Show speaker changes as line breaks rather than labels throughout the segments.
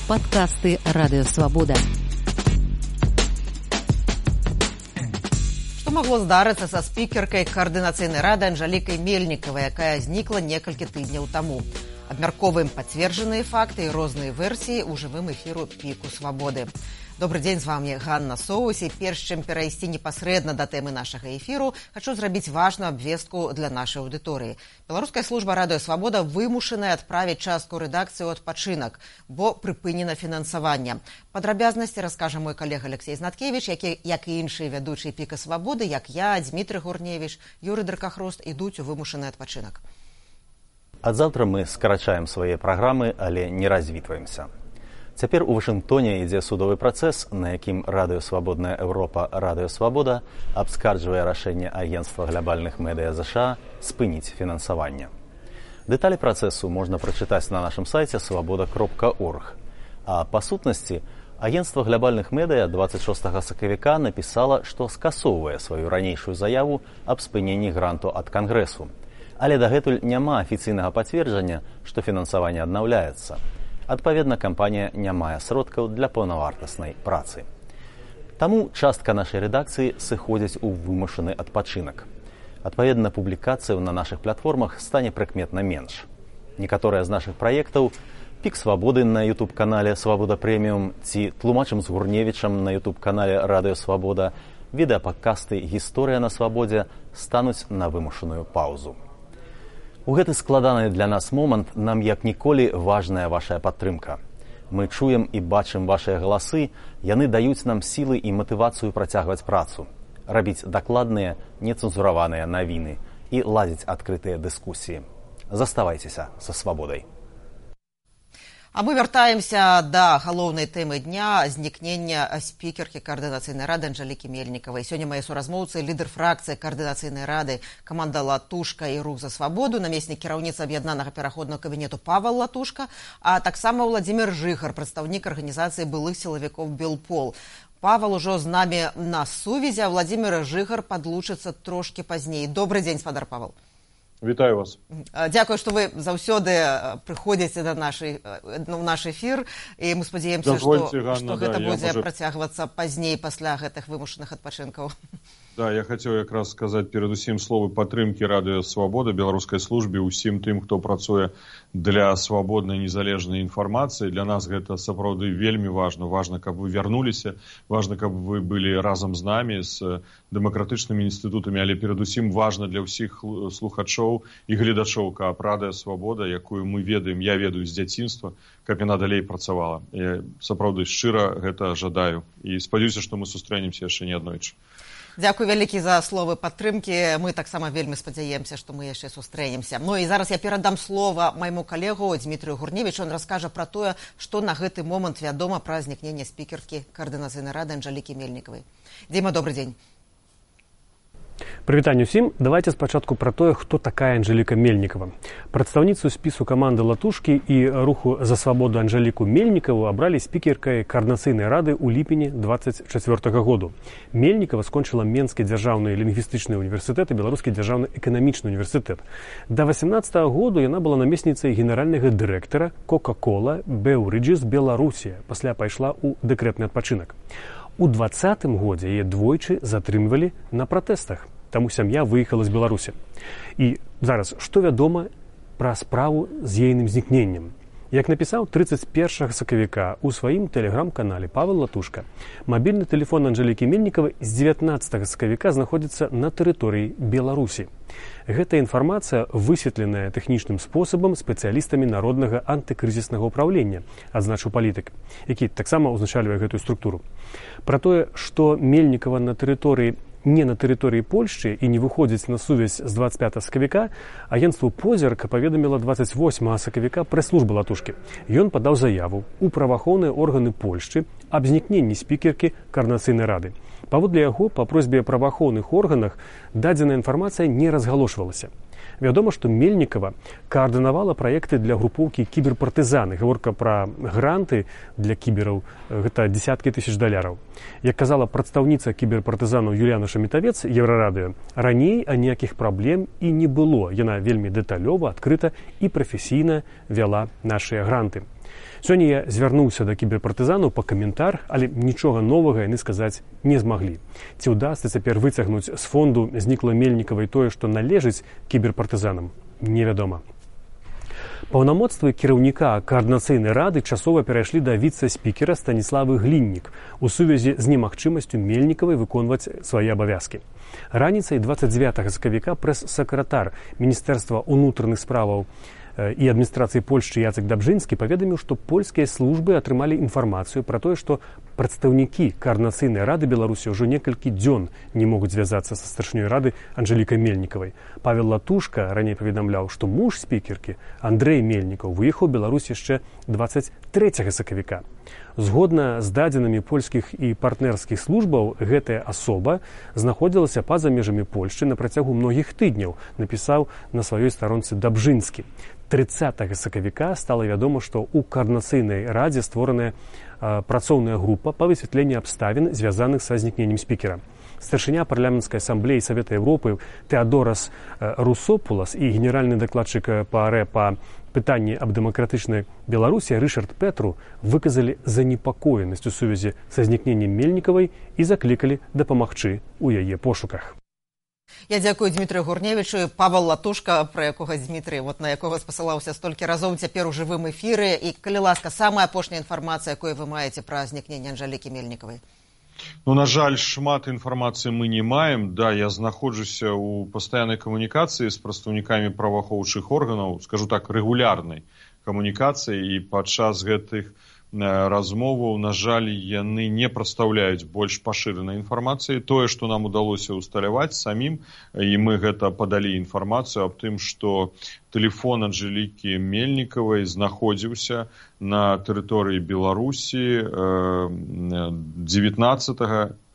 Падкасты Радыёвабода.
Што магло здарыцца са спікеркай каардынацыйнай рады Анжалікай Мельнікавай, якая знікла некалькі тыдняў таму? Абмярковаем пацверджаныя факты і розныя версіі ў жывым эфіру «Піку свабоды». Добрый дзень, з вами Ганна Соус. І перш чым перайсці непасрэдна да тэмы нашага эфіру, хачу зрабіць важную абвестку для нашай аўдыторыі. Беларуская служба Радыёвабода вымушаная адправіць частку рэдакцыі ў адпачынак, бо прыпынена фінансаванне. Падрабязнасці раскажа мой калега Алексей Знаткевіч, які, як і іншыя вядучыя «Піка свабоды», як я, Дмітрый Гурневіч, Юрый Дракахрост, ідуць у вымушаны адпачынак.
Ад заўтра мы скарачаем свае праграмы, але не развітваемся. Цяпер у Вашынгтоне ідзе судовы працэс, на якім Радыёвабодная Еўропа Радыёвабода абскарджвае рашэнне Агенцтва глабальных медыя ЗША спыніць фінансаванне. Дэталі працэсу можна прачытаць на нашым сайце свабода.орг. А па сутнасці, Агенцтва глабальных медыя 26 сакавіка напісала, што скасоўвае сваю ранейшую заяву аб спыненні гранту ад Кангрэсу. Але дагэтуль няма афіцыйнага пацверджання, што фінансаванне аднаўляецца. Адпаведна, кампанія не мае сродкаў для паўнавартаснай працы. Таму частка нашай рэдакцыі сыходзіць у вымушаны адпачынак. Адпаведна, публікацыяў на нашых платформах стане прыкметна менш. Некаторыя з нашых праектаў «Пік свабоды» на YouTube-канале «Свабода прэміум» ці «Тлумачым з Гурневічам» на YouTube-канале «Радыёвабода», відэападкасты «Гісторыя на свабодзе» стануць на вымушаную паўзу. У гэты складаны для нас момант нам як ніколі важная вашая падтрымка. Мы чуем і бачым вашыя галасы, яны даюць нам сілы і матывацыю працягваць працу, рабіць дакладныя, нецэнзураваныя навіны і ладзіць адкрытыя дыскусіі. Заставайцеся са свабодай.
А мы вяртаемся да галоўнай тэмы дня – знікнення спікеркі каардынацыйнай рады Анжалікі Мельнікавай. Сёння мае суразмоўцы, лідар фракцыі каардынацыйнай рады, каманда Латушка і Рух за свабоду, намеснік кіраўніцы аб'яднанага пераходнага кабінету Павел Латушка, а таксама Владзімір Жыгар, прадстаўнік арганізацыі былых сілавікоў «Белпол». Павел ужо з намі на сувязі, а Владзімір Жыгар падлучыцца трошкі пазней. Добрый дзень, спадар Павел.
Вітаю вас.
Дзякую, што вы заўсёды прыходзіце да наш эфір, і мы спадзяемся, што гэта будзе працягвацца пазней пасля гэтых вымушаных адпачынкаў.
Да, я хацеў якраз сказаць перадусім словы падтрымкі Радыёвабода, беларускай службе, усім тым, хто працуе для свабоднай незалежнай інфармацыі. Для нас гэта сапраўды вельмі важна. Важна, каб вы вярнуліся, важна, каб вы былі разам з намі, з дэмакратычнымі інстытутамі, але перадусім важна для ўсіх слухачоў і гледачоў, каб Радыёвабода, якую мы ведаем, я ведаю з дзяцінства, каб яна далей працавала. Я сапраўды шчыра гэта жадаю і спадзяюся, што мы сустрэнемся яшчэ неаднойчы.
Дзякуй вялікі за словы падтрымкі. Мы таксама вельмі спадзяемся, што мы яшчэ сустрэнемся. Ну і зараз я перадам слова майму калегу Дмітрыю Гурневічу. Он раскажа пра тое, што на гэты момант вядома пра знікненне спікеркі каардынацыйнай рады Анжалікі Мельнікавай. Дзіма, добрый дзень.
Прывітанне ўсім. Давайте спачатку пра тое, хто такая Анжаліка Мельнікава. Прадстаўніцу спісу каманды Латушкі і Руху за свабоду Анжаліку Мельнікаву абралі спікеркай каардынацыйнай рады ў ліпені 24 году. Мельнікава скончыла Менскі дзяржаўны лінгвістычны універсітэт і Беларускі дзяржаўны эканамічны універсітэт. Да 18 году яна была намесніцай генеральнага дырэктара Coca-Cola Beverages Беларусі, пасля пайшла ў дэкрэтны адпачынак. У 2020 годзе яе двойчы затрымлівалі на пратэстах, таму сям'я выехала з Беларусі. І зараз, што вядома пра справу з ейным знікненнем? Як напісаў 31 сакавіка ў сваім тэлеграм-канале Павел Латушка, мабільны тэлефон Анжалікі Мельнікавай з 19 сакавіка знаходзіцца на тэрыторыі Беларусі. Гэта інфармацыя высветленая тэхнічным спосабам спецыялістамі народнага антыкрызіснага ўпраўлення, адзначыў палітык, які таксама ўзначальвае гэтую структуру. Пра тое, што Мельнікава не на тэрыторыі Польшчы і не выходзіць на сувязь з 25 сакавіка, агенцтву «Позірк» паведаміла 28 сакавіка прэс-служба Латушкі. Ён падаў заяву ў праваахоўныя органы Польшчы аб знікненні спікеркі каардынацыйнай рады. Паводле яго, па просьбе праваахоўных органах дадзеная інфармацыя не разгалошвалася. Вядома, што Мельнікава каардынавала праекты для групоўкі кіберпартызаны. Гаворка пра гранты для кібераў – гэта дзесяткі тысяч даляраў. Як казала прадстаўніца кіберпартызанаў Юліяна Шамітавец, Еўрарадыё, раней аніякіх праблем і не было. Яна вельмі дэталёва, адкрыта і прафесійна вяла нашыя гранты. Сёння я звярнуўся да кіберпартызанаў па каментар, але нічога новага яны сказаць не змаглі. Ці ўдасца цяпер выцягнуць з фонду знікла Мельнікавай тое, што належыць кіберпартызанам, невядома. Паўнамоцтвы кіраўніка каардынацыйнай рады часова перайшлі да віцэ-спікера Станіславы Гліннік у сувязі з немагчымасцю Мельнікавай выконваць свае абавязкі. Раніцай 29 сакавіка прэс-сакратар Міністэрства ўнутраных справаў і адміністрацыі Польшчы Яцек Дабжынскі паведаміў, што польскія службы атрымалі інфармацыю пра тое, што прадстаўнікі каардынацыйнай рады Беларусі ўжо некалькі дзён не могуць звязацца са старшынёй рады Анжэлікай Мельнікавай. Павел Латушка раней паведамляў, што муж спікеркі Андрэй Мельнікаў выехаў у Беларусь яшчэ 23 сакавіка. Згодна з дадзенымі польскіх і партнерскіх службаў, гэтая асоба знаходзілася па-за межамі Польшчы на працягу многіх тыдняў, напісаў на сваёй старонцы Дабжынскі. 30 сакавіка стала вядома, што ў каардынацыйнай радзе створаная працоўная група па высвятленні абставін, звязаных са знікненнем спікера. Старшыня парламенцкай асамблеі Савета Еўропы Тэадорас Русопулас і генеральны дакладчык ПАРЭ па пытанні аб дэмакратычнай Беларусі Рышард Петру выказалі занепакоенасць у сувязі са знікненнем Мельнікавай і заклікалі дапамагчы ў яе пошуках.
Я дзякую Дмітрыю Гурневічу. Павел Латушка, пра якога Дмітрый, на якога спасылаўся столькі разоў, цяпер у жывым эфіры. І, калі ласка, самая апошняя інфармацыя, якую вы маеце пра знікненне Анжэлікі Мельнікавай.
На жаль, шмат інфармацыі мы не маем. Да, я знаходжуся ў пастаяннай камунікацыі з прадстаўнікамі праваахоўчых органаў, скажу так, рэгулярнай камунікацыі, і падчас гэтых размоваў, на жаль, яны не прадстаўляюць больш пашыранай інфармацыі. Тое, што нам удалося ўсталяваць самім, і мы гэта падалі інфармацыю аб тым, што тэлефон Анжэлікі Мельнікавай знаходзіўся на тэрыторыі Беларусі 19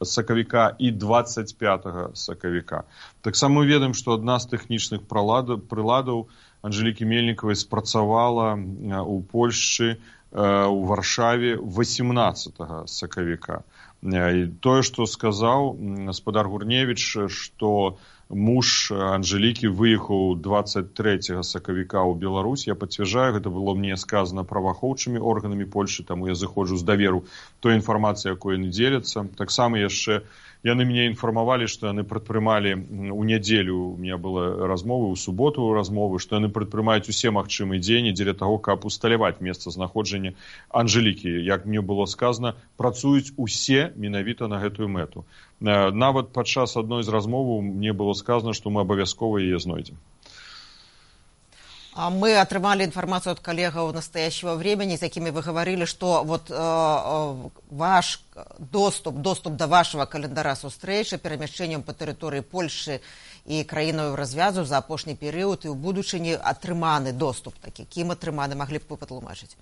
сакавіка і 25 сакавіка. Таксама мы ведаем, што адна з тэхнічных прыладаў Анжэлікі Мельнікавай спрацавала ў Польшчы у Варшаве 18 сакавіка. І тое, што сказаў гаспадар Гурневіч, што муж Анжэлікі выехаў 23 сакавіка ў Беларусь, я пацвярджаю, гэта было мне сказана праваахоўчымі органамі Польшчы, таму я заходжу з даверу той інфармацыі, якой яны дзеляцца. Таксама яшчэ яны мяне інфармавалі, што яны прадпрымалі ў нядзелю, у меня была размова, у суботу размовы, што яны прадпрымаюць усе магчымыя дзеянні дзеля таго, каб усталяваць месцазнаходжання Анжэлікі. Як мне было сказана, працуюць усе менавіта на гэтую мэту. Нават падчас адной з размоваў мне было сказано, што мы абавязкова яе знойдзем.
Мы атрымалі інфармацыю ад калегаў настоящего времени, з якімі вы гаварылі, што ваш доступ да вашего календара сустрэчы перамяшчэннем па тэрыторыі Польшчы і краінаў развязу за апошні перыяд і ў будучыні атрыманы доступ такі. Кім атрыманы, маглі б вы патлумачыць?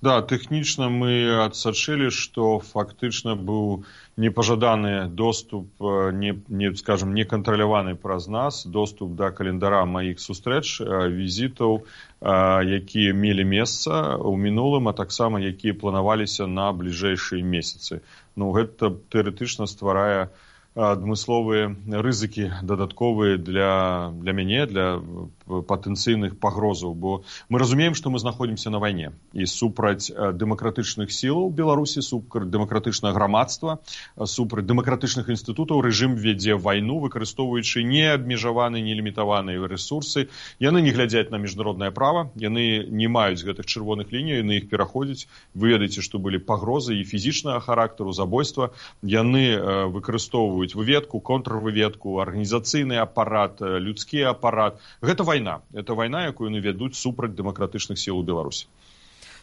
Да, тэхнічна мы адсачылі, што фактычна быў непажаданы доступ, не кантраляваны праз нас, доступ да календара маіх сустрэч, візітаў, якія мелі месца ў мінулым, а таксама якія планаваліся на бліжэйшыя месяцы. Гэта тэарэтычна стварае адмысловыя рызыкі дадатковыя для мяне, для патэнцыйных пагрозаў, бо мы разумеем, што мы знаходзімся на вайне і супраць дэмакратычных сілаў Беларусі, супраць дэмакратычнага грамадства, супраць дэмакратычных інстытутаў рэжым вядзе вайну, выкарыстоўваючы неабмежаваныя, нелімітаваныя рэсурсы. Яны не глядзяць на міжнароднае права, яны не маюць гэтых чырвоных ліній, яны іх пераходзяць. Вы ведаеце, што былі пагрозы і фізічнага характару, забойства. Яны выкарыстоўваюць выведку, контрвыведку, арганізацыйны апарат, людскі апарат. Гэта вайна. Это вайна, якую яны вядуць супраць дэмакратычных сіл у Беларусі.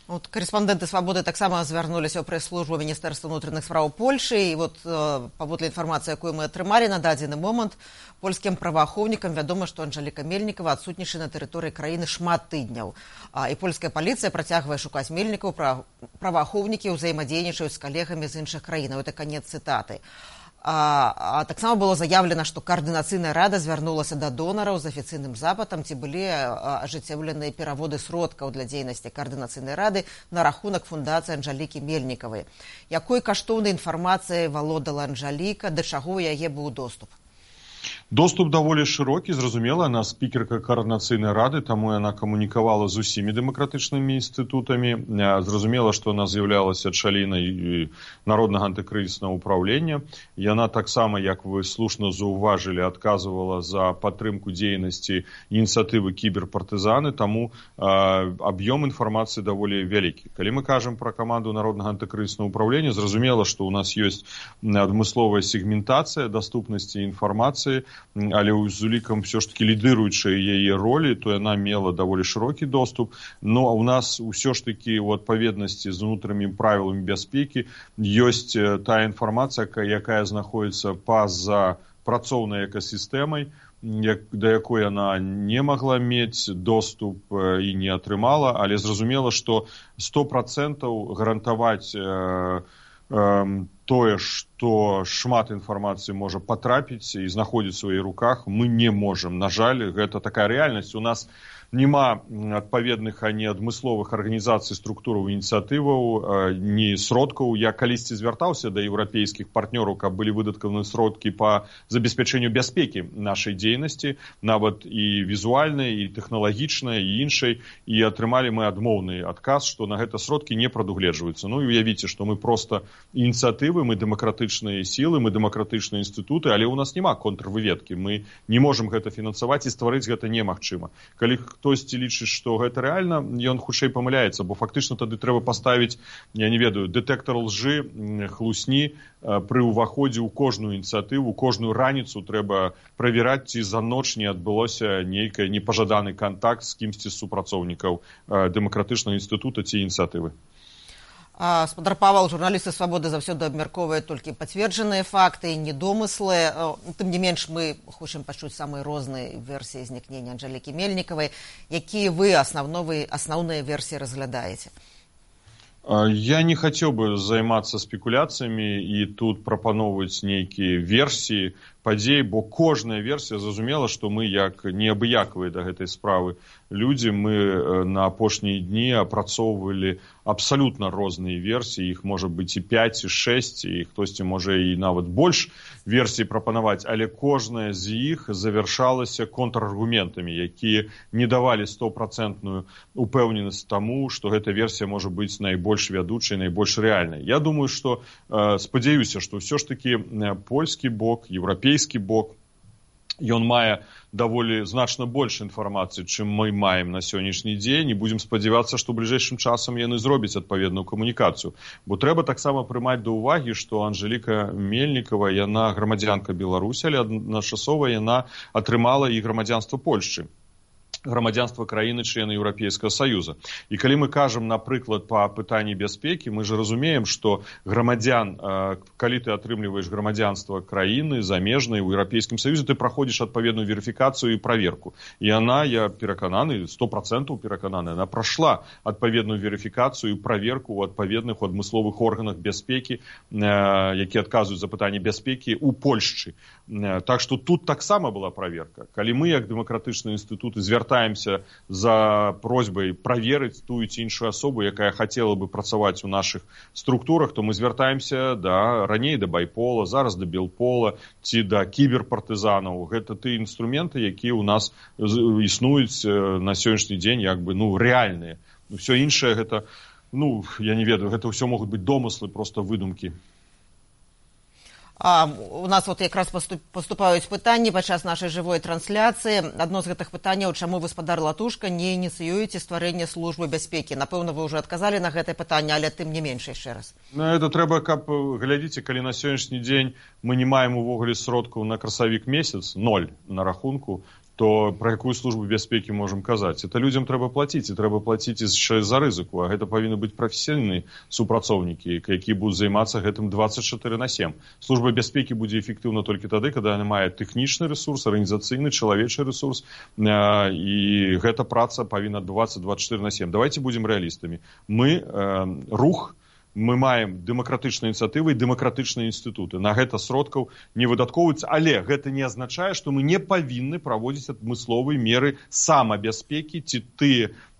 Карэспандэнты «Свабоды» таксама звярнуліся ў прэс-службу Міністэрства ўнутраных справаў Польшчы, і паводле інфармацыі, якую мы атрымалі на дадзены момант, польскім праваахоўнікам вядома, што Анжэліка Мельнікава адсутнічае на тэрыторыі краіны шмат тыдняў. І польская паліцыя працягвае шукаць Мельнікаў, праваахоўнікі ўзаемадзейнічаюць з калегамі з іншых краінаў. Это канец цытаты. Таксама было заявлена, што каардынацыйная рада звярнулася да донараў з афіцыйным запытам, ці былі ажыццяўленыя пераводы сродкаў для дзейнасці каардынацыйнай рады на рахунак фундацыі Анжэлікі Мельнікавай. Якой каштоўнай інфармацыяй валодала Анжэліка, да чаго ў яе быў доступ?
Доступ даволі шырокі, зразумела, она спікерка коордынацыйнай рады, таму яна камунікавала з усімі дэмакратычнымі інстытутамі. Зразумела, што она з'яўлялася чалінай народнага антыкрызіснага ўпраўлення. Яна таксама, як вы слушна заўважылі, адказвала за падтрымку дзейнасці ініцыятывы кіберпартызаны, таму аб'ём інфармацыі даволі вялікі. Калі мы кажам пра каманду народнага антыкрызіснага ўпраўлення, зразумела, што ў нас ёсць адмысловая сегментацыя даступнасці інфармацыі, але з улікам все ж таки лідыруючай яе ролі, то яна мела даволі шырокі доступ. Но у нас ўсё ж таки у адпаведнасці з унутранымі правіламі бяспекі ёсць тая інфармацыя, якая знаходзіцца па-за працоўнай экасістэмай, да якой яна не магла мець доступ і не атрымала, але зразумела, што 100% гарантаваць тое, што шмат інфармацыі можа патрапіць і знаходзіць у сваіх руках, мы не можам. На жаль, гэта такая рэальнасць. У нас няма адпаведных ані адмысловых арганізацый, структураў, ініцыятываў, ні сродкаў. Я калісьці звяртаўся да еўрапейскіх партнёраў, каб былі выдаткаваны сродкі па забеспячэнню бяспекі нашай дзейнасці, нават і візуальнай, і тэхналагічнай, і іншай, і атрымалі мы адмоўны адказ, што на гэта сродкі не прадугледжваюцца. Ну і уявіце, што мы проста ініцыятывы, мы дэмакратычныя сілы, мы дэмакратычныя інстытуты, але ў нас няма контрвыведкі. Мы не можам гэта фінансаваць і стварыць гэта немагчыма. Калі хтосьці лічыць, што гэта рэальна, ён хутчэй памыляецца, бо фактычна тады трэба паставіць, я не ведаю, дэтэктар лжы, хлусні пры ўваходзе ў кожную ініцыятыву, кожную раніцу трэба правяраць, ці за ноч не адбылося нейкі непажаданы кантакт з кімсьці з супрацоўнікаў дэмакратычнага інстытута ці ініцыятывы.
Спадар Павал, журналісты «Свабоды» заўсёды абмяркоўваюць толькі пацверджаныя факты, не домыслы. Тым не менш, мы хочам пачуць самыя розныя версіі знікнення Анжэлікі Мельнікавай. Якія вы асноўныя версіі разглядаеце?
Я не хацеў бы займацца спекуляцыямі і тут прапаноўваць нейкія версіі падзей, бо кожная версія, зразумела, што мы як неабыякавыя да гэтай справы людзі, мы на апошнія дні апрацоўвалі абсалютна розныя версіі, іх можа быць і 5, і 6, і хтосьці можа і нават больш версій прапанаваць, але кожная з іх завяршалася контраргументамі, якія не давалі 100% упэўненасць таму, што гэта версія можа быць найбольш вядучай, найбольш рэальнай. Я думаю, што спадзяюся, што ўсё ж такі польскі бок, еўрапейскі бок, ён мае даволі значна больш інфармацыі, чым мы маем на сённяшні дзень, і будзем спадзявацца, што бліжэйшым часам яны зробяць адпаведную камунікацыю. Бо трэба таксама прымаць да ўвагі, што Анжэліка Мельнікава, яна грамадзянка Беларусі, але адначасова яна атрымала і грамадзянства Польшчы, грамадзянства краіны члены Еўрапейскага Саюза. І калі мы кажам, напрыклад, па пытанні бяспекі, мы ж разумеем, што грамадзян, калі ты атрымліваеш грамадзянства краіны замежнай у Еўрапейскім Саюзе, ты праходзіш адпаведную верыфікацыю і праверку. І яна, я перакананы, 100% перакананы, яна прайшла адпаведную верыфікацыю і праверку ў адпаведных адмысловых органах бяспекі, якія адказваюць за пытанні бяспекі ў Польшчы. Так што тут таксама была праверка. Калі мы, як дэмакратычныя інстытуты, звяртаемся за просьбай праверыць тую ці іншую асобу, якая хацела бы працаваць у нашых структурах, то мы звяртаемся раней да байпола, зараз да белпола ці да кіберпартызанаў. Гэта тыя інструменты, якія ў нас існуюць на сённяшні дзень рэальныя. Усё іншае гэта, я не ведаю, гэта ўсё могуць быць домыслы, проста выдумкі.
У нас якраз паступаюць пытанні падчас нашай жывой трансляцыі. Адно з гэтых пытанняў, чаму вы, спадар Латушка, не ініцыюеце стварэнне службы бяспекі? Напэўна, вы ўжо адказалі на гэтае пытанне, але тым не менш яшчэ раз.
Это трэба, каб, глядзіце, калі на сённяшні дзень мы не маем увогуле сродкаў на красавік месяц, 0 на рахунку, то пра якую службу бяспекі можам казаць? Это людзям трэба плаціць, і трэба плаціць яшчэ за рызыку, а гэта павінны быць прафесійныя супрацоўнікі, якія будуць займацца гэтым 24/7. Служба бяспекі будзе эфектыўна толькі тады, калі яна мае тэхнічны рэсурс, арганізацыйны, чалавечы рэсурс, і гэта праца павінна адбывацца 24/7. Давайте будзем рэалістамі. Мы рух, мы маем дэмакратычныя ініцыятывы і дэмакратычныя інстытуты. На гэта сродкаў не выдаткоўваюцца, але гэта не азначае, што мы не павінны праводзіць адмысловыя меры самабяспекі ці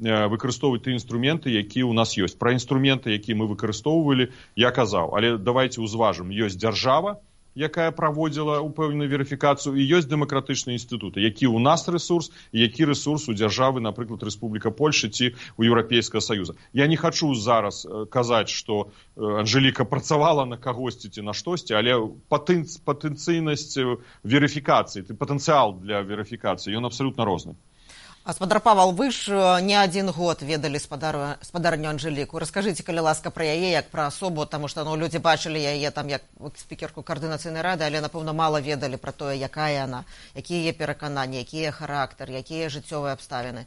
выкарыстоўваць тыя інструменты, якія ў нас ёсць. Пра інструменты, якія мы выкарыстоўвалі, я казаў. Але давайте ўзважым, ёсць дзяржава, якая праводзіла упэўненую верыфікацыю, і ёсць дэмакратычныя інстытуты, які ў нас рэсурс і які рэсурс у дзяржавы, напрыклад, Рэспубліка Польша ці ў Еўрапейскага Саюза. Я не хачу зараз казаць, што Анжэліка працавала на кагосьці ці на штосьці, але патэнцыйнасць верыфікацыі, патэнцыял для верыфікацыі, ён абсалютна розны.
Гаспадар Павал, вы ж не один год ведалі спадарню Анжэліку. Раскажыце, калі ласка, пра яе як пра асобу, таму што людзі бачылі яе там як спікерку Каардынацыйнай рады, але, напэўна, мала ведалі пра тое, якая яна, якія яе перакананні, якія характар, якія жыццёвыя абставіны.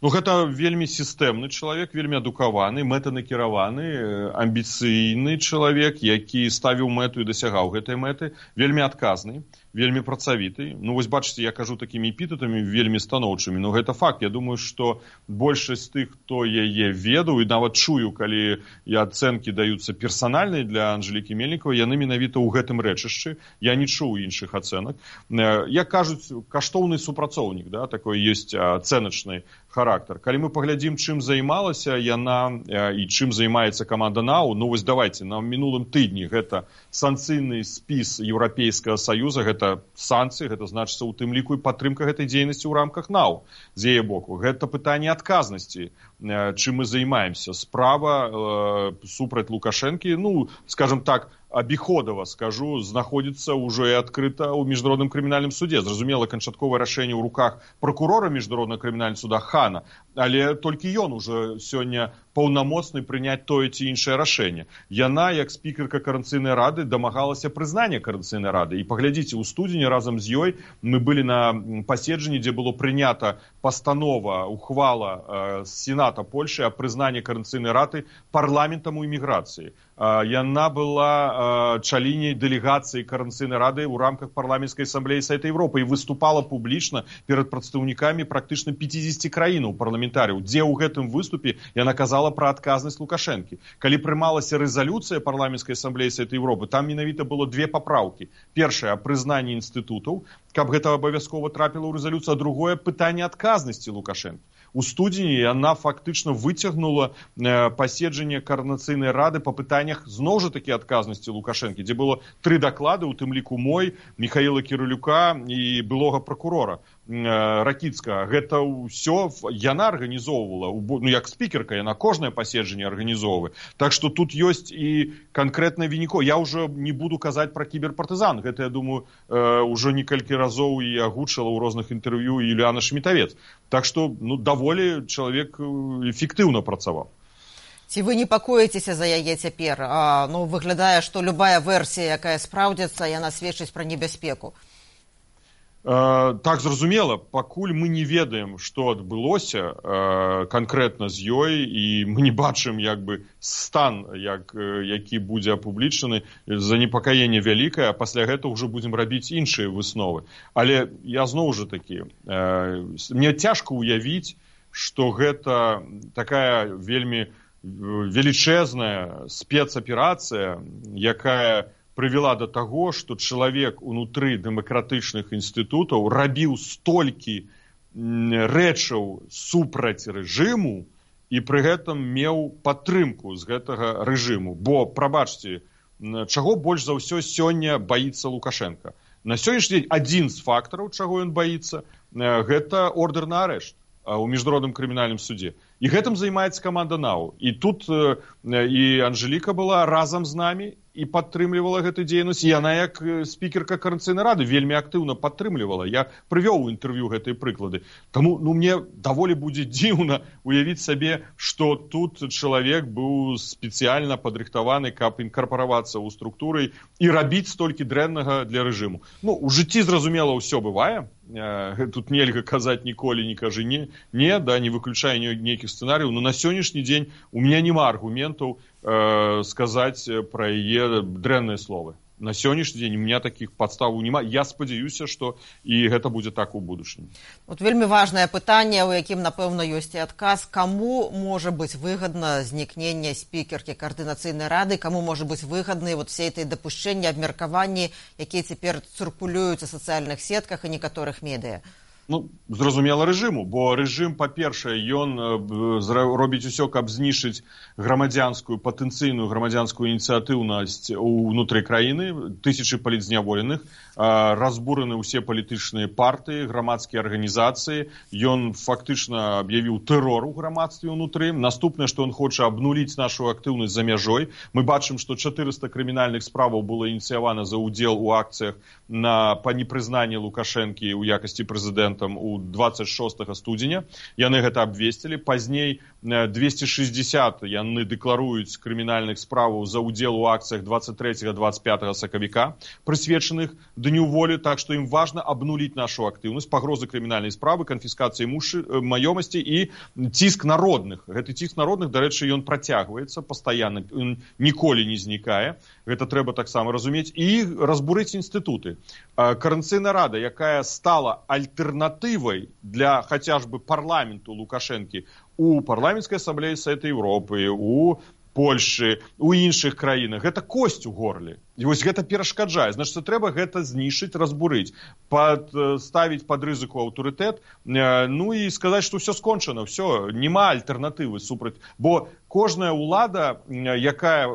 Гэта вельмі сістэмны чалавек, вельмі адукаваны, мэтанакіраваны, амбіцыйны чалавек, які ставіў мэту і дасягаў гэтай мэты, вельмі адказны, вельмі працавіты. Вось бачыце, я кажу такімі эпітэтамі вельмі станоўчымі, гэта факт. Я думаю, што большасць тых, хто яе ведаў, і нават чую, калі ацэнкі даюцца персанальныя для Анжэлікі Мельнікавай, яны менавіта ў гэтым рэчышчы. Я не чуў іншых ацэнак. Як кажуць, каштоўны супрацоўнік, такой ёсць ацэначны характар. Калі мы паглядзім, чым займалася яна і чым займаецца каманда НАУ, вось давайте, на мінулым тыдні гэта санкцыйны спіс Еўрапейскага Саюза, гэта санкцыі, гэта значыцца ў тым ліку і падтрымка гэтай дзейнасці ў рамках НАУ з яе боку. Гэта пытанне адказнасці, чым мы займаемся. Справа супраць Лукашэнкі, скажем так, абіходава, скажу, знаходзіцца ўжо і адкрыта ў міжнародным крымінальным судзе. Зразумела, канчатковае рашэнне ў руках пракурора міжнароднага крымінальнага суда Хана, але толькі ён ужо сёння паўнамоцны прыняць тое ці іншае рашэнне. Яна, як спікерка Коордынацыйнай рады, дамагалася прызнання Коордынацыйнай рады. І паглядзіце, у студзені разам з ёй мы былі на паседжанні, дзе было прынята пастанова, ухвала з Сената Польшы аб прызнанні Коордынацыйнай рады парламентам у іміграцыі. Яна была чаліней дэлегацыі Коордынацыйнай рады ў рамках парламенцкай асамблеі Савета Европы і выступала публічна перад прадстаўнікамі практычна 50 краінаў парламентарыяў, дзе ў гэтым выступе яна казала пра адказнасць Лукашэнкі. Калі прымалася рэзалюцыя парламенцкай асамблеі Савета Европы, там менавіта было две папраўкі. Першая — прызнанне інстытутаў, каб гэта абавязкова трапіла ў рэзалюцыю, а другое — пытанне адказнасці Лукашэнкі. У студзені яна фактычна выцягнула паседжанне Коордынацыйнай рады па пытаннях зноў жа такі адказнасці Лукашэнкі, дзе было 3 даклады, у тым ліку мой, Міхаіла Кірылюка і былога пракурора Ракіцкага. Гэта ўсё яна арганізоўвала, як спікерка, яна кожнае паседжанне арганізоўвае. Так што тут ёсць і канкрэтна вінікоў. Я ўжо не буду казаць пра кіберпартызан. Гэта, я думаю, ўжо некалькі разоў і агучыла ў розных інтэрв'ю Юліяна Шмітавец. Так што, даволі чалавек эфектыўна працаваў.
Ці вы непакоіцеся за яе цяпер? Выглядае, што любая версія, якая спраўдзіцца, яна сведчыць пра небяспеку.
Так, зразумела, пакуль мы не ведаем, што адбылося канкрэтна з ёй, і мы не бачым стан, які будзе апублічаны, занепакаенне вялікае, а пасля гэтага ўжо будзем рабіць іншыя высновы. Але я зноў жа такі, мне цяжка ўявіць, што гэта такая вельмі велічэзная спецаперацыя, якая прывяла да таго, што чалавек унутры дэмакратычных інстытутаў рабіў столькі рэчаў супраць рэжыму і пры гэтым меў падтрымку з гэтага рэжыму. Бо, прабачце, чаго больш за ўсё сёння баіцца Лукашенка? На сённяшні дзень адзін з фактараў, чаго ён баіцца, гэта ордэр на арышт у міжнародным крымінальным судзе. І гэтым займаецца каманда НАУ. І тут і Анжэліка была разам з намі і падтрымлівала гэту дзейнасць. Яна, як спікерка Коордынацыйнай рады, вельмі актыўна падтрымлівала. Я прывёў у інтэрв'ю гэтыя прыклады. Таму мне даволі будзе дзіўна уявіць сабе, што тут чалавек быў спецыяльна падрыхтаваны, каб інкарпаравацца ў структуры і рабіць столькі дрэннага для рэжыму. У жыцці, зразумела, ўсё бывае. Тут нельга казаць ніколі, не кажы не, не выключае нейкіх сцэнарыяў, но на сённяшні дзень у меня няма аргументаў сказаць пра яе дрэнныя словы. На сённяшні дзень у меня такіх падставаў няма. Я спадзяюся, што і гэта будзе так у будучыні.
Вельмі важнае пытанне, у якім, напэўна, ёсць і адказ. Каму можа быць выгадна знікненне спікеркі Коордынацыйнай рады, каму можа быць выгадны все этой дапушчэнні, абмеркаванні, якія цяпер цыркулююць у сацыяльных сетках і некаторых медыа?
Ну, зразумела рэжыму, бо рэжым, па-першае, ён робіць усё, каб знішыць грамадзянскую, патэнцыйную грамадзянскую ініцыятыўнасць унутры краіны, тысячы палітзняволеных, разбураны ўсе палітычныя партыі, грамадскія арганізацыі, ён фактычна аб'явіў тэрор у грамадстве ўнутры. Наступнае, што ён хоча абнуліць нашу актыўнасць за мяжой. Мы бачым, што 400 крымінальных справаў было ініцыявана за ўдзел у акцыях па непрызнанні Лукашэнкі ў якасці прэзідэнта у 26 студзеня. Яны гэта абвесцілі. Пазней 260 яны дэкларуюць крымінальных справаў за ўдзел у акцыях 23-25 сакавіка, прысвечаных Дню волі, так што ім важна абнуліць нашу актыўнасць, пагрозы крымінальнай справы, канфіскацыі маёмасці і ціск народных. Гэты ціск народных, дарэчы, ён працягваецца пастаянна, ён ніколі не знікае. Гэта трэба таксама разумець. І разбурыць інстытуты. Коордынацыйная рада, якая стала альтэрнатывай для хаця ж бы парламенту Лукашэнкі у парламенцкай асамблеі Савета Еўропы, у Польшы, у іншых краінах. Гэта косць у горле. І вось гэта перашкаджае. Значыць, трэба гэта знішыць, разбурыць, ставіць пад рызыку аўтарытэт, ну і сказаць, што ўсё скончана, ўсё, няма альтэрнатывы супраць. Бо кожная ўлада, якая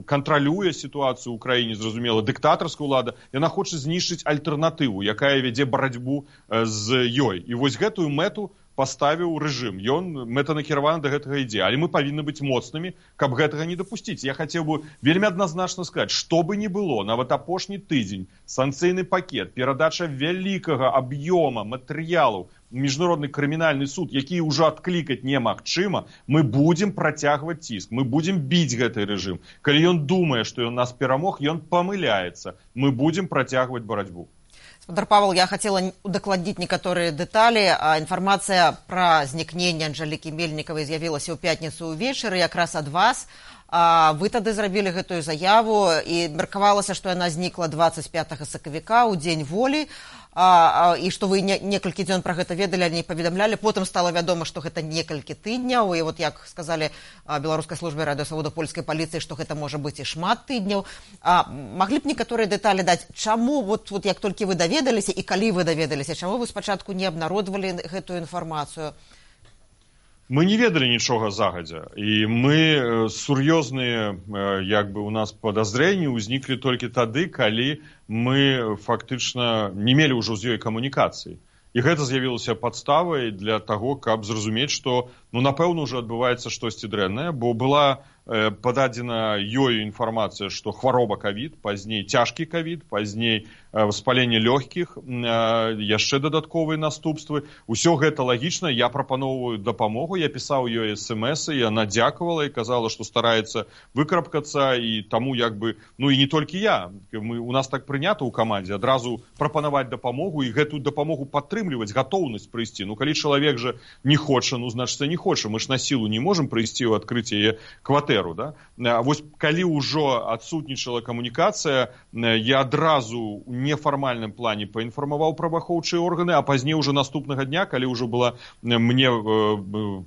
кантралюе сітуацыю ў краіне, зразумела, дыктатарская ўлада, яна хоча знішыць альтэрнатыву, якая вядзе барацьбу з ёй. І вось гэтую мэту паставіў рэжым. Ён мэтанакіраваны да гэтага ідзе. Але мы павінны быць моцнымі, каб гэтага не дапусціць. Я хацеў бы вельмі адназначна сказаць, што бы ні было, нават апошні тыдзень, санкцыйны пакет, перадача вялікага аб'ёма матэрыялаў, міжнародны крымінальны суд, які ўжо адклікаць немагчыма, мы будзем працягваць ціск, мы будзем біць гэты рэжым. Калі ён думае, што ён нас перамог, ён памыляецца. Мы будзем працягваць барацьбу.
Гаспадар Павел, я хотела удакладніць некаторыя дэталі. Інфармацыя пра знікненне Анжэлікі Мельнікавай з'явілася ў пятніцу ўвечары, якраз ад вас. Вы тады зрабілі гэтую заяву, і меркавалася, што яна знікла 25 сакавіка ў дзень волі, і што вы некалькі дзён пра гэта ведалі, але не паведамлялі. Потым стала вядома, што гэта некалькі тыдняў, і вот як сказалі беларускай службе радыёсвабоды польскай паліцыі, што гэта можа быць і шмат тыдняў. Маглі б некаторыя дэталі даць, чаму вот як толькі вы даведаліся і калі вы даведаліся, чаму вы спачатку не абнародвалі гэтую інфармацыю?
Мы не ведалі нічога загадзя, і мы сур'ёзныя, як бы у нас падазрэнні ўзніклі толькі тады, калі мы фактычна не мелі ўжо з ёй камунікацыі. І гэта з'явілася падставай для таго, каб зразумець, што, напэўна, ўжо адбываецца штосьці дрэннае, бо была пададзена ёю інфармацыя, што хвароба ковід, пазней цяжкі ковід, пазней воспаленне лёгкіх, яшчэ дадатковыя наступствы. Усё гэта лагічна, я прапаноўваю дапамогу, я пісаў ёй смс-ы, яна дзякавала і казала, што стараецца выкрапкацца, і таму як бы, і не толькі я, у нас так прынята ў камандзе, адразу прапанаваць дапамогу і гэтую дапамогу падтрымліваць, гатоўнасць прыйсці. Калі чалавек жа не хоча, значыць, не хоча, мы ж на сілу не можам прыйсці ў адкрыць яе кватэру. Да? Вось калі ўжо адсутнічала камунікацыя, я адразу ў нефармальным плане паінфармаваў праваахоўчыя органы, а пазней уже наступнага дня, калі ўжо была мне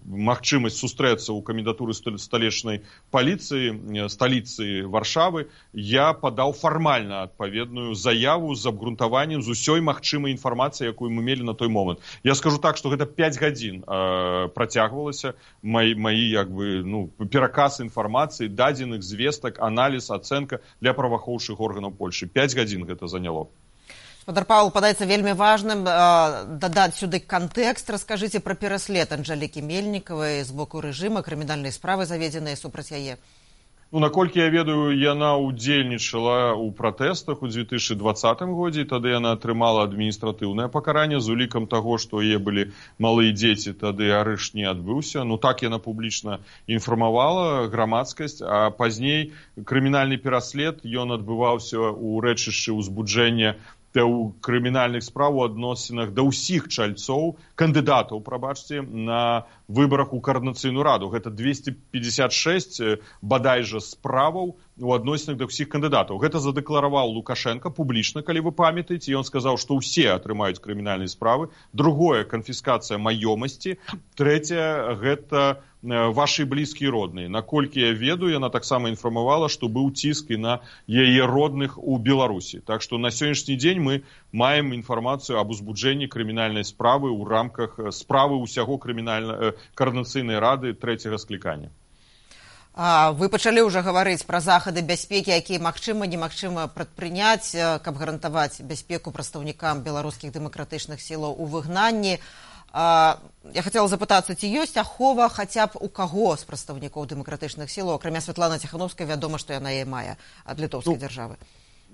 магчымасць сустрэцца ў камендатуры сталічнай паліцыі, сталіцы Варшавы, я падаў фармальна адпаведную заяву з абгрунтаваннем з усёй магчымай інфармацыі, якую мы мелі на той момант. Я скажу так, што гэта 5 гадзін працягвалася маі як бы, пераказ інфармацыі, дадзеных звестак, аналіз, ацэнка для праваахоўчых органаў Польшы. 5 гадзін гэта заняло.
Гаспадар Павел, падаецца вельмі важным дадаць сюды кантэкст. Раскажыце пра пераслед Анжэлікі Мельнікавай з боку рэжыма, крымінальныя справы заведзеныя супраць яе.
Наколькі я ведаю, яна ўдзельнічала ў пратэстах у 2020 годзе, і тады яна атрымала адміністратыўнае пакаранне з улікам таго, што яе былі малыя дзеці, тады арышт не адбыўся. Так яна публічна інфармавала грамадскасць, а пазней крымінальны пераслед, ён адбываўся ў рэчышчы ўзбуджэння ў крымінальных справ у адносінах да ўсіх чальцоў, кандыдатаў, прабачце, на выбарах у Коордынацыйную раду. Гэта 256 бадай жа справаў у адносінах да ўсіх кандыдатаў. Гэта задэклараваў Лукашенко публічна, калі вы памятаеце, і ён сказаў, што ўсе атрымаюць крымінальныя справы. Другое, канфіскацыя маёмасці. Трэцяе, гэта ваши блізкія родныя. Наколькі я ведаю, яна таксама інфармавала, што быў ціск і на яе родных у Беларусі. Так што на сённяшні дзень мы маем інфармацыю аб узбуджэнні крымінальнай справы ў рамках справы ўсяго Координацыйнай рады 3-го склікання.
Вы пачалі ўжо гаварыць пра захады бяспекі, якія магчыма, немагчыма прадпрыняць, каб гарантаваць бяспеку прадстаўнікам беларускіх дэмакратычных сілаў у выгнанні. Я хацела запытацца, ці ёсць ахова хаця б у каго з прадстаўнікоў дэмакратычных сілаў, акрамя Святланы Ціхановскай, вядома, што яна і мае ад літоўскай дзяржавы.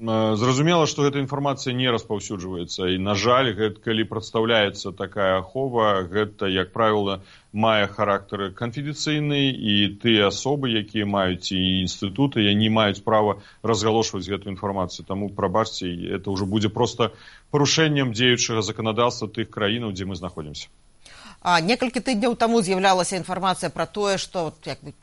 Зразумела, што гэта інфармацыя не распаўсюджваецца, і, на жаль, калі прадстаўляецца такая ахова, гэта, як правіла, мае характар канфідэнцыйны, і тыя асобы, якія маюць і інстытуты, не маюць права разгалошваць гэту інфармацыю. Таму, прабачце, это ўжо будзе проста парушэннем дзеючага заканадаўства тых краінаў, дзе мы знаходзімся.
Некалькі тыдняў таму з'яўлялася інфармацыя пра тое, што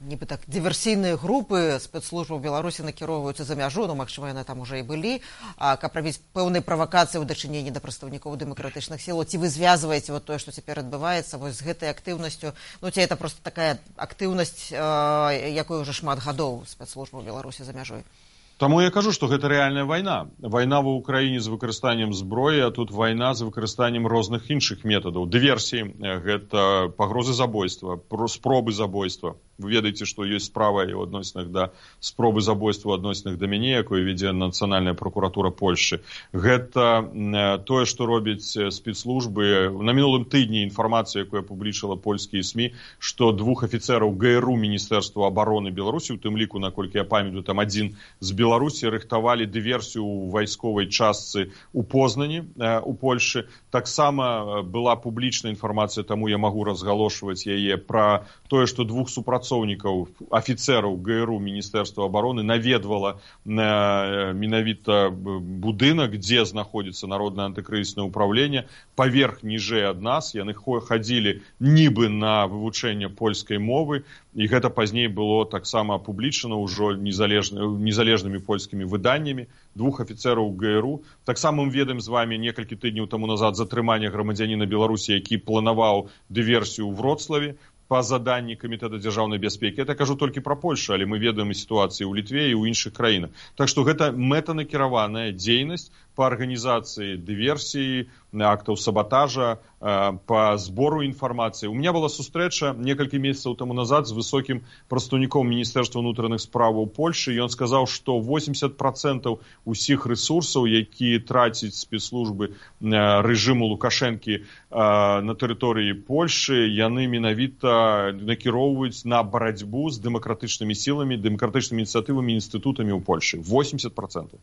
нібы так дыверсійныя групы спецслужбаў Беларусі накіроўваюцца за мяжу, магчыма, яны там уже і былі, каб рабіць пэўныя правакацыі ў дачыненні да прадстаўнікоў дэмакратычных сілаў. Ці вы звязваеце тое, што цяпер адбываецца з гэтай актыўнасцю? Ці гэта проста такая актыўнасць, якой уже шмат гадоў спецслужбаў Беларусі за мяжой?
Таму я кажу, што гэта рэальная вайна. Вайна ва ўкраіне з выкарыстаннем зброі, а тут вайна з выкарыстаннем розных іншых метадаў. Дыверсіі, гэта пагрозы забойства, спробы забойства. Вы ведаеце, што ёсць справа і ў адносінах да спробы забойства, ў адносінах да мяне, якую вядзе Нацыянальная пракуратура Польшчы. Гэта тое, што робяць спецслужбы. На мінулым тыдні інфармацыя, якую публічыла польскія СМІ, што 2 афіцэраў ГРУ Міністэрства абароны Беларусі, у тым ліку, наколькі я памятаю, там адзін з Беларусі, рыхтавалі дыверсію ў вайсковай частцы ў Познані, у Польшчы. Таксама была публічная інфармацыя, таму я магу разгалошваць яе, пра тое, што 2 супрацоўнікаў, афіцэраў ГРУ Міністэрства абароны наведвала менавіта будынак, дзе знаходзіцца Народнае антыкрызіснае ўпраўленне, паверх ніжэй ад нас. Яны хадзілі нібы на вывучэнне польскай мовы, і гэта пазней было таксама апублічана ўжо незалежнымі польскімі выданнямі. 2 афіцэраў ГРУ. Таксама мы ведаем з вами некалькі тыдняў таму назад затрымання грамадзяніна Беларусі, які планаваў дыверсію ў Вроцлаве па заданні Камітэта дзяржаўнай бяспекі. Я кажу толькі пра Польшу, але мы ведаем і сітуацыі ў Літве і ў іншых краінах. Так што гэта мэтанакіраваная дзейнасць па арганізацыі дыверсіі, актаў сабатажа, па збору інфармацыі. У меня была сустрэча некалькі месяцаў таму назад з высокім прадстаўніком Міністэрства ўнутраных справаў Польшчы, і ён сказаў, што 80% усіх рэсурсаў, якія трацяць спецслужбы рэжыму Лукашэнкі на тэрыторыі Польшчы, яны менавіта накіроўваюць на барацьбу з дэмакратычнымі сіламі, дэмакратычнымі ініцыятывамі, інстытутамі ў Польшчы. 80%.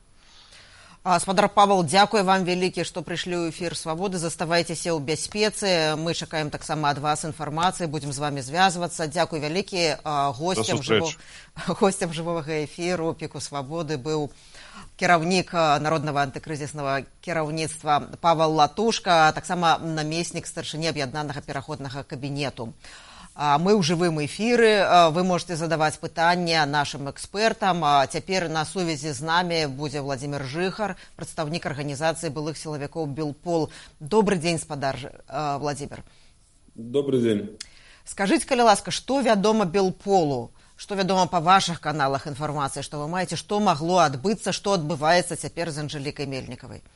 Спадар Павел, дзякуй вам вялікі, што прыйшлі ў эфір Свабоды. Заставайцеся ў бяспецы. Мы чакаем таксама ад вас інфармацыі, будзем з вами звязвацца. Дзякуй вялікі. Госцем жывога эфіру Піку Свабоды быў кіраўнік Народнага антыкрызіснага кіраўніцтва Павел Латушка, таксама намеснік старшыні аб'яднанага пераходнага кабінету. Мы ў жывым эфіры, вы можете задаваць пытанні нашым экспертам. Цяпер на сувязі з намі будзе Владзімир Жыхар, прадстаўнік арганізацыі былых сілавікоў Белпол. Добрый дзень, спадар Владзімир.
Добрый дзень.
Скажыце, калі ласка, што вядома Белполу? Што вядома па вашых каналах інфармацыі, што вы маеце, што магло адбыцца, што адбываецца цяпер з Анжэлікай Мельнікавай?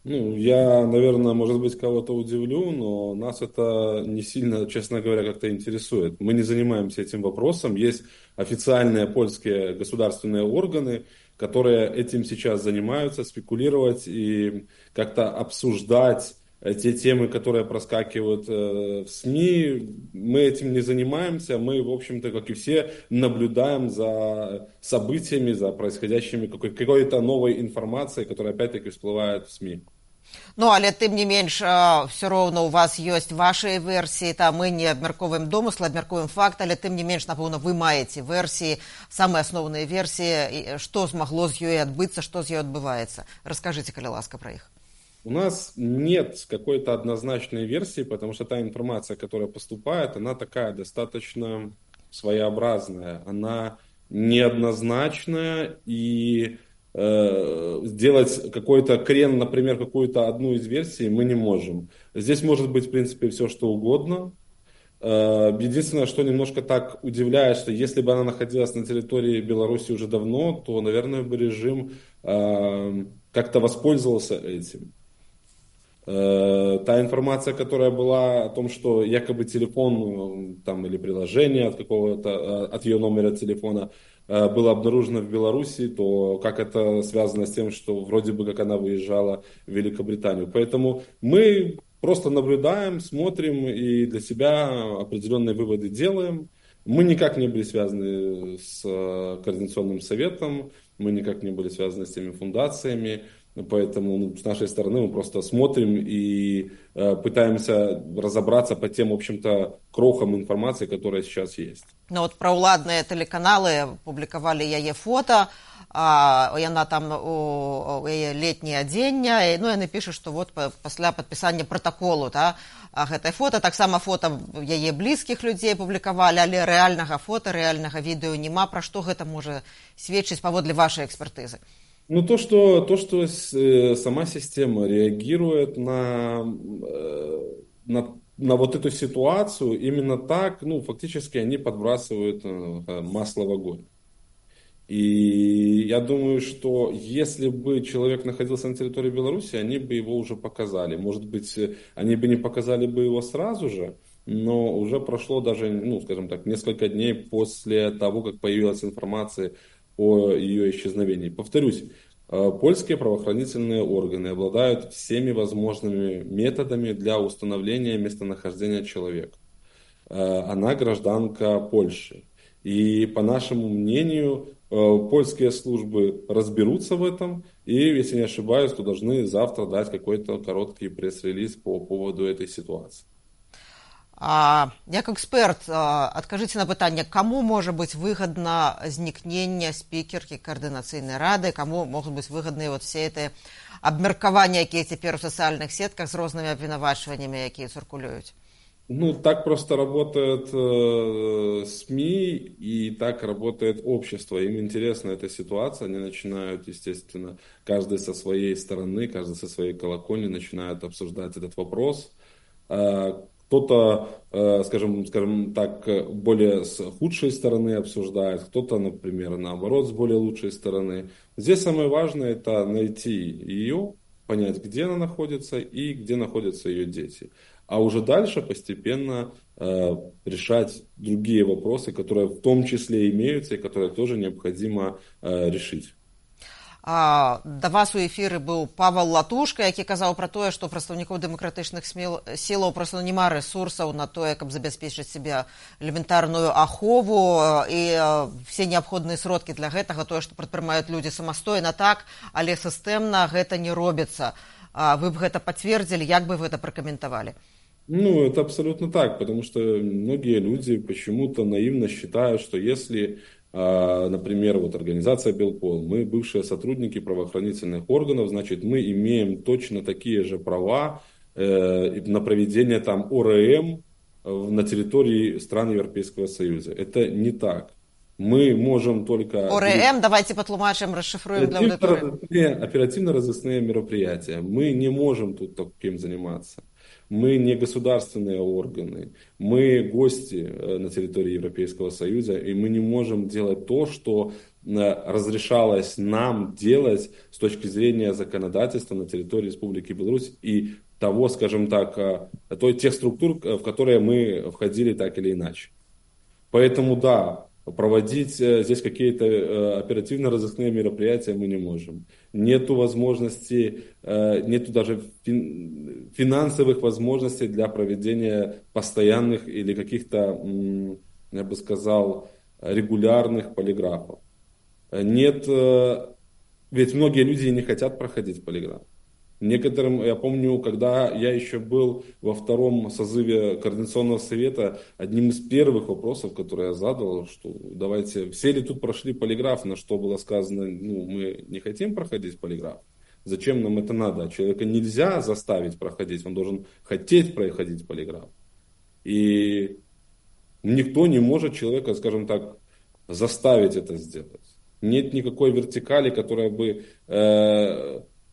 Я, наверное, может быть, кого-то удивлю, но нас это не сильно, честно говоря, как-то интересует. Мы не занимаемся этим вопросом. Есть официальные польские государственные органы, которые этим сейчас занимаются, спекулировать и как-то обсуждать те темы, которые проскакивают в СМИ. Мы этим не занимаемся. Мы, в общем-то, как и все, наблюдаем за событиями, за происходящими какой-то новой информацией, которая опять-таки всплывает в СМИ.
Але тым не менш, все роўна у вас ёсць вашыя версіі, мы не абмяркоўваем домыслы, абмяркоўваем факт, але тым не менш, напэўна, вы маеце версіі, самыя асноўныя версіі, што змагло з ёй адбыцца, што з ёй адбываецца. Раскажыце, калі ласка, пра іх.
У нас нет какой-то однозначной версии, потому что та информация, которая поступает, она такая достаточно своеобразная, она неоднозначная, и сделать какой-то крен, например, какую-то одну из версий мы не можем. Здесь может быть, в принципе, все что угодно. Единственное, что немножко так удивляет, что если бы она находилась на территории Беларуси уже давно, то, наверное, бы режим как-то воспользовался этим. Та информация, которая была о том, что якобы телефон там, или приложение от какого-то, от ее номера телефона было обнаружено в Беларуси, то как это связано с тем, что вроде бы как она выезжала в Великобританию. Поэтому мы просто наблюдаем, смотрим и для себя определенные выводы делаем. Мы никак не были связаны с Координационным советом, мы никак не были связаны с теми фундациями. Поэтому с нашей стороны мы просто смотрим и пытаемся разобраться по тем, в общем-то, крохам информации, которая сейчас есть.
Ну вот праўладныя тэлеканалы публікавалі яе фота, яна там у яе летняе адзенне, ну яны пішуць, што вот пасля падпісання пратаколу, гэтай фота, таксама фота яе блізкіх людзей публікавалі, але рэальнага фота, рэальнага відэо няма. Пра што гэта можа сведчыць паводле вашай экспертызы?
Ну, то, что сама система реагирует на вот эту ситуацию, именно так, ну, фактически они подбрасывают масло в огонь. И я думаю, что если бы человек находился на территории Беларуси, они бы его уже показали. Может быть, они бы не показали бы его сразу же, но уже прошло даже, ну, скажем так, несколько дней после того, как появилась информация о ее исчезновении. Повторюсь, польские правоохранительные органы обладают всеми возможными методами для установления местонахождения человека. Она гражданка Польши. И по нашему мнению, польские службы разберутся в этом и, если не ошибаюсь, то должны завтра дать какой-то короткий пресс-релиз по поводу этой ситуации.
Як эксперт, адкажыце на пытанне, каму можа быць выгадна знікненне спікеркі Координацыйнай рады, каму могуць быць выгадныя вот все эти абмеркаванні, якія цяпер у сацыяльных сетках з рознымі абвінавачваннямі, якія цыркулююць?
Ну, так просто работают СМИ и так работает общество. Им интересна эта ситуация, они начинают, естественно, каждый со своей стороны, каждый со своей колокольни начинают обсуждать этот вопрос. Кто-то, скажем так, более с худшей стороны обсуждает, кто-то, например, наоборот, с более лучшей стороны. Здесь самое важное – это найти ее, понять, где она находится и где находятся ее дети. А уже дальше постепенно решать другие вопросы, которые в том числе имеются и которые тоже необходимо решить.
Да вас у эфіры быў Павел Латушка, які казаў пра тое, што прадстаўнікоў дэмакратычных сілаў проста няма рэсурсаў на тое, каб забяспечыць себе элементарную ахову і все неабходныя сродкі для гэтага, тое, што прадпрымаюць людзі самастойна, так, але сістэмна гэта не робіцца. Вы б гэта пацвердзілі, як бы вы гэта пракаментавалі?
Ну, это абсолютно так, потому что многие люди почему-то наивно считают, что если, например, вот организация Белпол, мы бывшие сотрудники правоохранительных органов, значит, мы имеем точно такие же права на проведение там ОРМ на территории стран Европейского Союза. Это не так. Мы можем только...
ОРМ, давайте потлумачим, расшифруем для аудитории.
Оперативно-розыскные мероприятия. Мы не можем тут таким заниматься. Мы не государственные органы, мы гости на территории Европейского Союза, и мы не можем делать то, что разрешалось нам делать с точки зрения законодательства на территории Республики Беларусь и того, скажем так, тех структур, в которые мы входили так или иначе. Поэтому да, проводить здесь какие-то оперативно-розыскные мероприятия мы не можем. Нету возможности, нету даже финансовых возможностей для проведения постоянных или каких-то, я бы сказал, регулярных полиграфов. Нет, ведь многие люди не хотят проходить полиграф. Некоторым, я помню, когда я еще был во втором созыве Координационного совета, одним из первых вопросов, которые я задал, что давайте, все ли тут прошли полиграф, на что было сказано, ну, мы не хотим проходить полиграф. Зачем нам это надо? Человека нельзя заставить проходить, он должен хотеть проходить полиграф. И никто не может человека, скажем так, заставить это сделать. Нет никакой вертикали, которая бы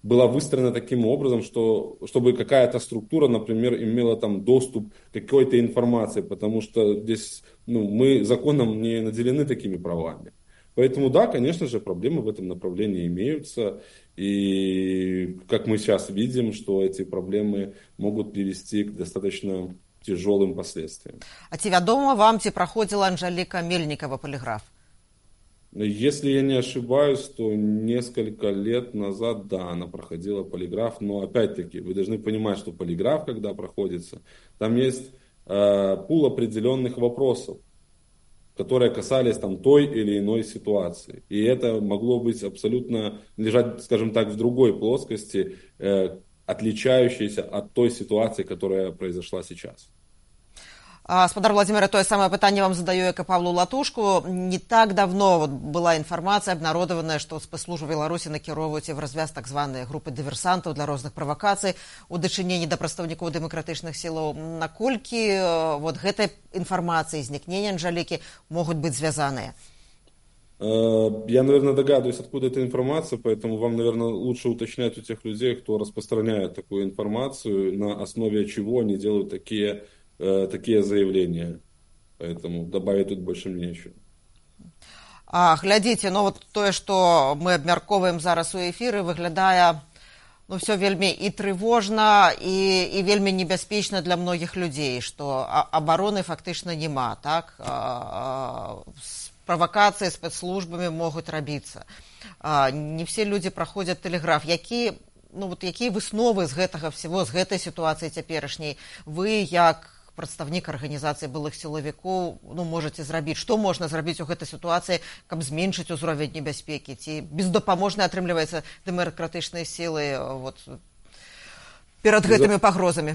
была выстроена таким образом, чтобы какая-то структура, например, имела там доступ к какой-то информации, потому что здесь мы законом не наделены такими правами. Поэтому да, конечно же, проблемы в этом направлении имеются. И как мы сейчас видим, что эти проблемы могут привести к достаточно тяжелым последствиям.
А ці вядома вам, ці праходзіла Анжеліка Мельнікова полиграф?
Если я не ошибаюсь, то несколько лет назад, да, она проходила полиграф. Но опять-таки, вы должны понимать, что полиграф, когда проходится, там есть пул определенных вопросов, которые касались там той или иной ситуации. И это могло быть абсолютно лежать, скажем так, в другой плоскости, отличающейся от той ситуации, которая произошла сейчас.
Спадар Владимир, тое самае пытанне вам задаю, як і Павлу Латушку. Не так давно была інфармацыя абнародаваная, што спецслужбы Беларусі накіроўваюць в развяз так званыя групы дыверсантаў для розных правакацый у дачыненні да прадстаўнікоў дэмакратычных сілаў. Наколькі гэтай інфармацыі, знікнення Анжелікі могуць быць звязаныя?
Я, наверное, догадываюсь, откуда эта информация, поэтому вам, наверное, лучше уточнять у тех людей, кто распространяет такую информацию, на основе чего они делают такие заявления. Поэтому добавить тут больше нечего.
Глядзіце, тое, што мы абмяркоўваем зараз у эфіры, выглядае все вельмі і трывожна, і вельмі небяспечна для многіх людзей, што абароны фактычна няма, так? Правакацыі спецслужбамі могуць рабіцца. Не все людзі праходзяць тэлеграф. Якія высновы з гэтага всего, з гэтай сітуацыі цяперашняй вы, як прадстаўнік арганізацыі былых сілавікоў, можаце зрабіць? Што можна зрабіць у гэтай сітуацыі, каб зменшыць узровень небяспекі? Ці бездапаможна атрымліваецца дэмакратычныя сілы перад гэтымі пагрозамі?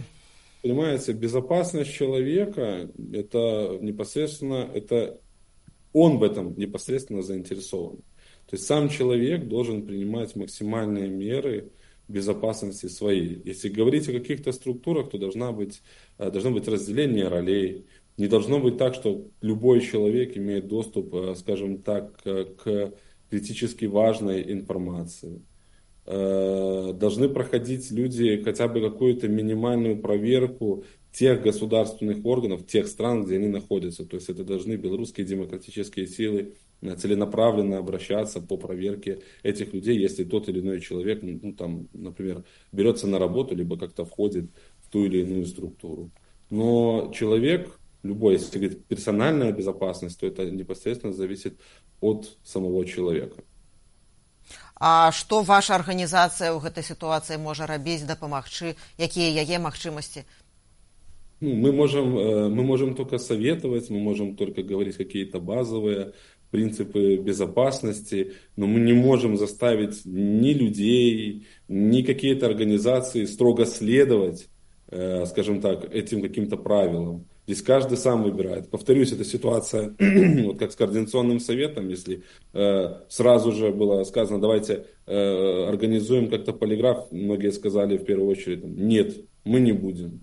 Понимаете, безопасность человека, это непосредственно, он в этом непосредственно заинтересован. То есть сам человек должен принимать максимальные меры безопасности своей. Если говорить о каких-то структурах, то должно быть разделение ролей. Не должно быть так, что любой человек имеет доступ, скажем так, к критически важной информации. Должны проходить люди хотя бы какую-то минимальную проверку тех государственных органов, тех стран, где они находятся. То есть это должны белорусские демократические силы целенаправленно обращаться по проверке этих людей, если тот или иной человек, например, берется на работу, либо как-то входит в ту или иную структуру. Но человек, любой, если говорить персональная безопасность, то это непосредственно зависит от самого человека.
А што ваша арганізацыя ў гэтай сітуацыі можа рабіць, дапамагчы? Якія яе магчымасці?
Мы можем только советовать, мы можем только говорить какие-то базовые принципы безопасности, но мы не можем заставить ни людей, ни какие-то организации строго следовать, скажем так, этим каким-то правилам. Здесь каждый сам выбирает. Повторюсь, эта ситуация, как с координационным советом, если сразу же было сказано, давайте организуем как-то полиграф, многие сказали в первую очередь, нет, мы не будем.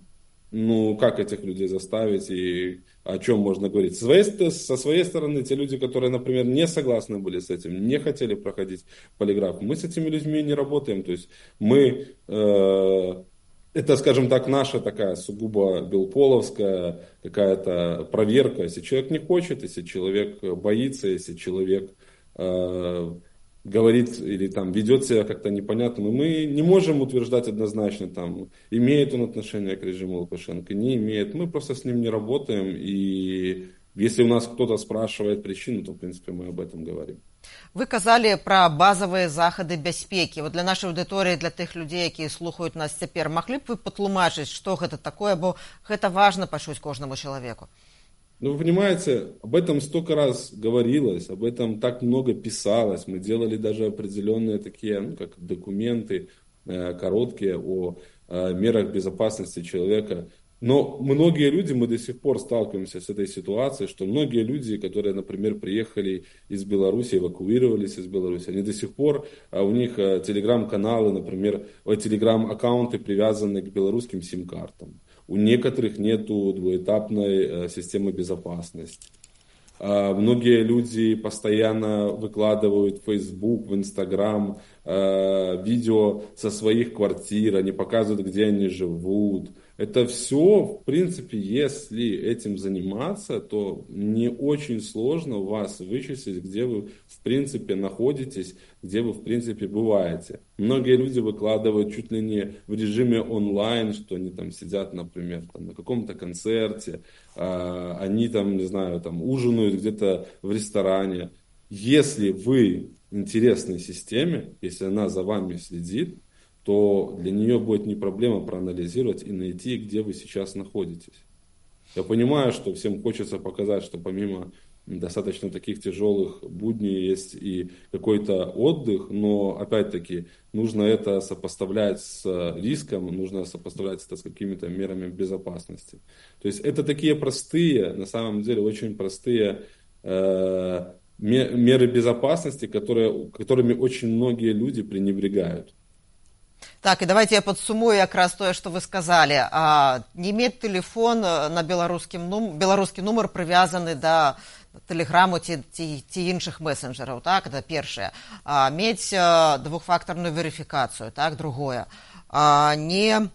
Как этих людей заставить и о чем можно говорить? Со своей стороны, те люди, которые, например, не согласны были с этим, не хотели проходить полиграф, мы с этими людьми не работаем. То есть мы, это, скажем так, наша такая сугубо белполовская какая-то проверка. Если человек не хочет, если человек боится, если человек говорит или ведет себя как-то непонятно, мы не можем утверждать однозначно, имеет он отношение к режиму Лукашенко, не имеет. Мы просто с ним не работаем, и если у нас кто-то спрашивает причину, то, в принципе, мы об этом говорим.
Вы казалі пра базавыя захады бяспекі. Для нашай аўдыторыі, для тых людзей, якія слухаюць нас цяпер, маглі б вы патлумачыць, што гэта такое, бо гэта важна пачуць кожнаму чалавеку?
Вы понимаете, об этом столько раз говорилось, об этом так много писалось. Мы делали даже определенные такие, как документы короткие о мерах безопасности человека. Но многие люди, мы до сих пор сталкиваемся с этой ситуацией, что многие люди, которые, например, приехали из Беларуси, эвакуировались из Беларуси, они до сих пор, у них телеграм-каналы, например, телеграм-аккаунты привязаны к белорусским сим-картам. У некоторых нету двуэтапной системы безопасности. Многие люди постоянно выкладывают в Facebook, в Instagram видео со своих квартир, они показывают, где они живут. Это все, в принципе, если этим заниматься, то не очень сложно у вас вычислить, где вы, в принципе, находитесь, где вы, в принципе, бываете. Многие люди выкладывают чуть ли не в режиме онлайн, что они там сидят, например, там, на каком-то концерте, они там, не знаю, там ужинают где-то в ресторане. Если вы интересной системе, если она за вами следит, то для нее будет не проблема проанализировать и найти, где вы сейчас находитесь. Я понимаю, что всем хочется показать, что помимо достаточно таких тяжелых будней есть и какой-то отдых, но опять-таки нужно это сопоставлять с риском, нужно сопоставлять это с какими-то мерами безопасности. То есть это такие простые, на самом деле очень простые меры безопасности, которыми очень многие люди пренебрегают.
Так, і давайте я падсумую якраз тое, што вы сказалі. Не мець тэлефон на беларускі нумар прывязаны да тэлеграму ці іншых месенджераў, так, это першае. Мець двухфактарную верыфікацыю, так, другое. Не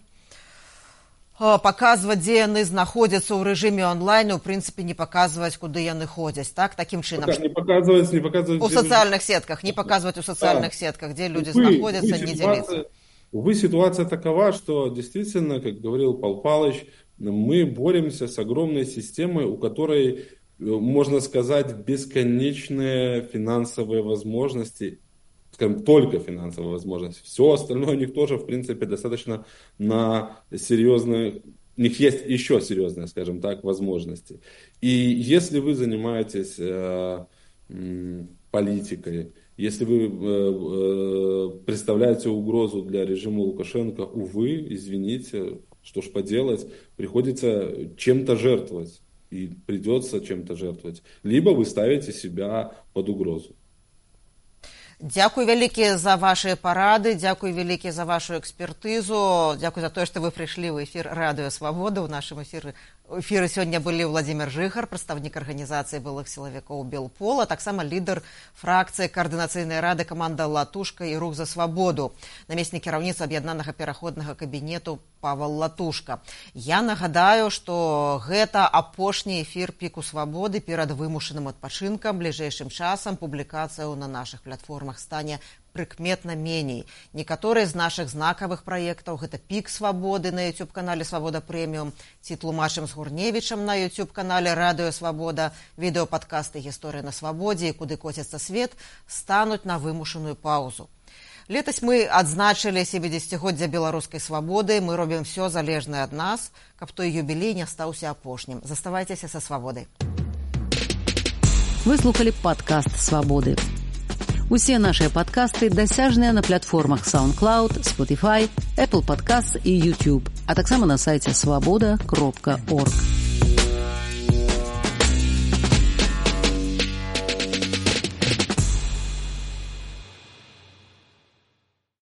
паказваць, дзе яны знаходзяцца ў рэжыме онлайн, у прынцыпе, не паказваць, куды яны ходзяць, так, такім чынам.
Не паказваць.
У сацыяльных сетках, не паказваць у сацыяльных сетках, дзе людзі знаходзяцца, не дзяліцца.
Увы, ситуация такова, что действительно, как говорил Павел Павлович, мы боремся с огромной системой, у которой, можно сказать, бесконечные финансовые возможности, скажем, только финансовые возможности. Все остальное у них тоже, в принципе, достаточно на серьезные, у них есть еще серьезные, скажем так, возможности. И если вы занимаетесь политикой, если вы представляете угрозу для режима Лукашенко, увы, извините, что ж поделать, приходится чем-то жертвовать. И придется чем-то жертвовать. Либо вы ставите себя под угрозу.
Дзякуй вялікі за ваши парады, дзякуй вялікі за вашу экспертызу, дзякуй за тое, што вы прыйшлі ў эфір Радыё Свабода. У нашым эфіры сёння былі Владзімир Жыгар, прадстаўнік арганізацыі былых сілавікоў Белпола, таксама лідар фракцыі Каардынацыйнай рады каманда Латушка і Рух за свабоду, намеснік кіраўніцтва аб'яднанага пераходнага кабінету Павел Латушка. Я нагадаю, што гэта апошні эфір Піку Свабоды перад вымушаным адпачынкам. Бліжэйшым часам публікацыяў на нашых платформах стане прыкметна меней. Некаторыя з нашых знакавых праектаў, гэта Пік Свабоды на YouTube-канале Свабода Прэміум, ці тлумачым з Гурневічам на YouTube-канале Радыё Свабода, відэопадкасты «Гісторыя на свабодзе» і «Куды коціцца свет» стануць на вымушаную паўзу. Летась мы адзначылі 70-годдзя беларускай свабоды. Мы робім все залежнае ад нас, каб той юбілей не стаўся апошнім. Заставайцеся са свабодай.
Вы слухали падкаст «Свабоды». Усе нашыя падкасты дасяжныя на платформах SoundCloud, Spotify, Apple Podcasts і YouTube, а таксама на сайце swaboda.org.